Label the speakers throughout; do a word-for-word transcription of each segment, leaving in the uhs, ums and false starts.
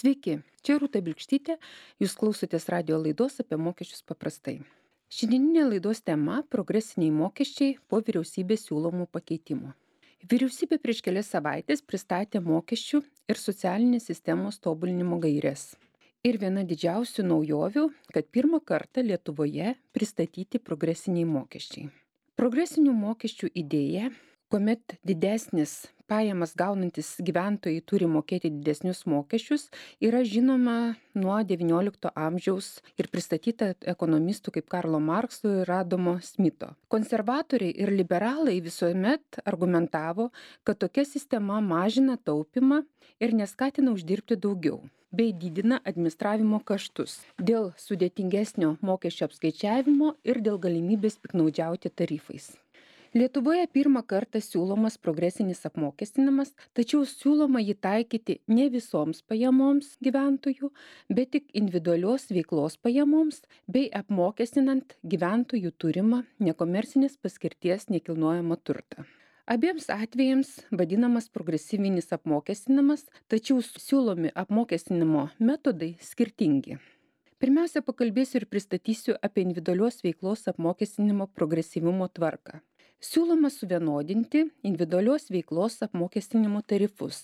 Speaker 1: Sveiki, čia Rūta Bilkštytė, jūs klausotės radio laidos apie mokesčius paprastai. Šiandieninė laidos tema – progresiniai mokesčiai po vyriausybės siūlomų pakeitimų. Vyriausybė prieš kelias savaitės pristatė mokesčių ir socialinės sistemos tobulinimo gaires. Ir viena didžiausių naujovių, kad pirmą kartą Lietuvoje pristatyti progresiniai mokesčiai. Progresinių mokesčių idėja, kuomet didesnis pajamas gaunantis gyventojai turi mokėti didesnius mokesčius, yra žinoma nuo devyniolikto amžiaus ir pristatyta ekonomistų kaip Karlo Markso ir Adamo Smito. Konservatoriai ir liberalai visuomet argumentavo, kad tokia sistema mažina taupymą ir neskatina uždirbti daugiau, bei didina administravimo kaštus dėl sudėtingesnio mokesčio apskaičiavimo ir dėl galimybės piktnaudžiauti tarifais. Lietuvoje pirmą kartą siūlomas progresinis apmokestinimas, tačiau siūloma jį taikyti ne visoms pajamoms gyventojų, bet tik individualios veiklos pajamoms bei apmokestinant gyventojų turimą nekomercinės paskirties nekilnojamą turtą. Abiems atvejams vadinamas progresyvinis apmokestinimas, tačiau siūlomi apmokestinimo metodai skirtingi. Pirmiausia, pakalbėsiu ir pristatysiu apie individualios veiklos apmokestinimo progresyvumo tvarką. Siūloma suvienodinti individualios veiklos apmokestinimo tarifus.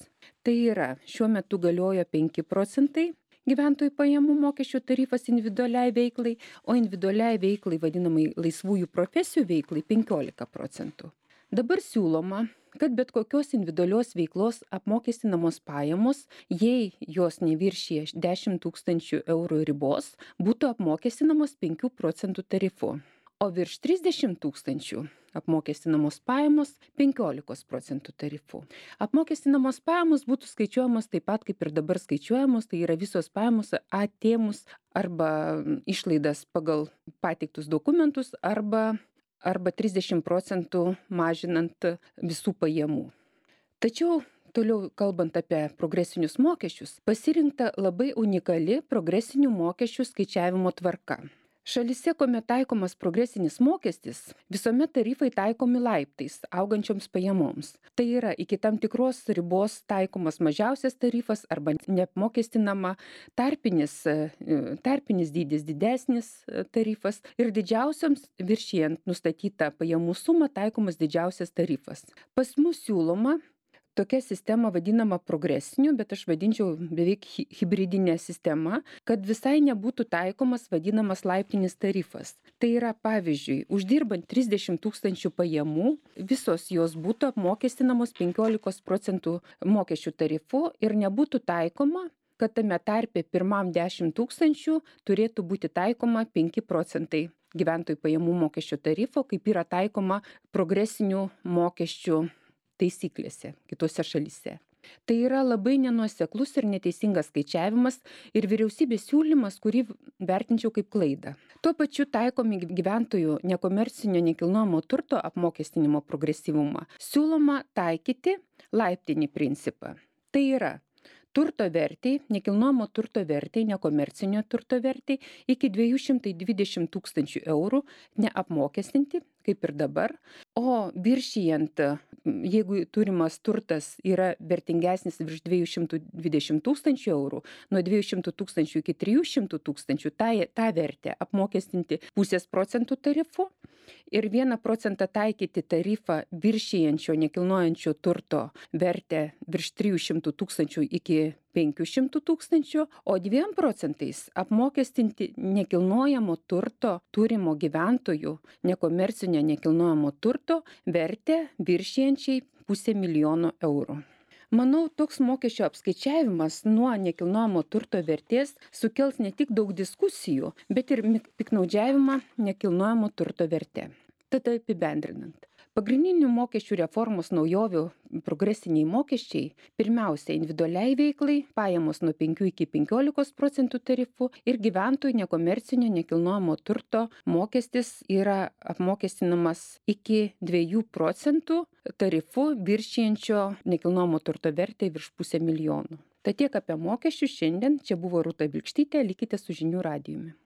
Speaker 1: Tai yra, šiuo metu galioja penki procentai gyventojų pajamų mokesčio tarifas individualiai veiklai, o individualiai veiklai vadinamai laisvųjų profesijų veiklai penkiolika procentų. Dabar siūloma, kad bet kokios individualios veiklos apmokestinamos pajamos, jei jos neviršija dešimt tūkstančių eurų ribos, būtų apmokestinamos penkių procentų tarifu, o virš trisdešimt tūkstančių apmokestinamos pajamos penkiolika procentų tarifu. Apmokestinamos pajamos būtų skaičiuojamos taip pat kaip ir dabar skaičiuojamos, tai yra visos pajamos atėmus arba išlaidas pagal pateiktus dokumentus arba arba trisdešimt procentų mažinant visų pajamų. Tačiau, toliau kalbant apie progresinius mokesčius, pasirinkta labai unikali progresinių mokesčių skaičiavimo tvarka. Šalyse, kuomet taikomas progresinis mokestis, visuomet tarifai taikomi laiptais, augančioms pajamoms. Tai yra, iki tam tikros ribos taikomas mažiausias tarifas arba neapmokestinama, tarpinis, tarpinis dydis didesnis tarifas ir didžiausioms viršijant nustatytą pajamų sumą taikomas didžiausias tarifas. Pas mus siūloma tokia sistema vadinama progresiniu, bet aš vadinčiau beveik hibridinė sistema, kad visai nebūtų taikomas vadinamas laiptinis tarifas. Tai yra, pavyzdžiui, uždirbant trisdešimt tūkstančių pajamų, visos jos būtų apmokestinamos penkiolika procentų mokesčių tarifu ir nebūtų taikoma, kad tame tarpe pirmam dešimt tūkstančių turėtų būti taikoma penki procentai gyventojų pajamų mokesčio tarifo, kaip yra taikoma progresinių mokesčių taisyklėse kitose šalyse. Tai yra labai nenuoseklus ir neteisingas skaičiavimas ir vyriausybės siūlymas, kurį vertinčiau kaip klaidą. Tuo pačiu taikomi gyventojų nekomercinio nekilnojamo turto apmokestinimo progresyvumą. Siūloma taikyti laiptinį principą. Tai yra turto vertei, nekilnojamo turto vertei, nekomercinio turto vertei iki dviejų šimtų dvidešimt tūkstančių eurų neapmokestinti, kaip ir dabar, o viršijant, jeigu turimas turtas yra vertingesnis virš dviejų šimtų dvidešimt tūkstančių eurų, nuo dviejų šimtų tūkstančių iki trijų šimtų tūkstančių, tą, tą vertę apmokestinti pusės procentų tarifu ir vieną procentą taikyti tarifą viršijančio nekilnojančio turto vertę virš trijų šimtų tūkstančių iki penkių šimtų tūkstančių, o dviem procentais apmokestinti nekilnojamo turto turimo gyventojų nekomercinio nekilnojamo turto vertę viršijančiai pusę milijono eurų. Manau, toks mokesčio apskaičiavimas nuo nekilnojamo turto vertės sukels ne tik daug diskusijų, bet ir piktnaudžiavimą nekilnojamo turto verte. Tad apibendrinant. Pagrindinių mokesčių reformos naujovių progresiniai mokesčiai pirmiausia individualiai veiklai, pajamos nuo penkių iki penkiolikos procentų tarifų ir gyventojų nekomercinio nekilnojamo turto mokestis yra apmokestinamas iki dviejų procentų tarifu viršijančio nekilnojamo turto vertę virš pusę milijonų. Tad tiek apie mokesčius šiandien. Čia buvo Rūta Bilkštytė, likite su žinių radijumi.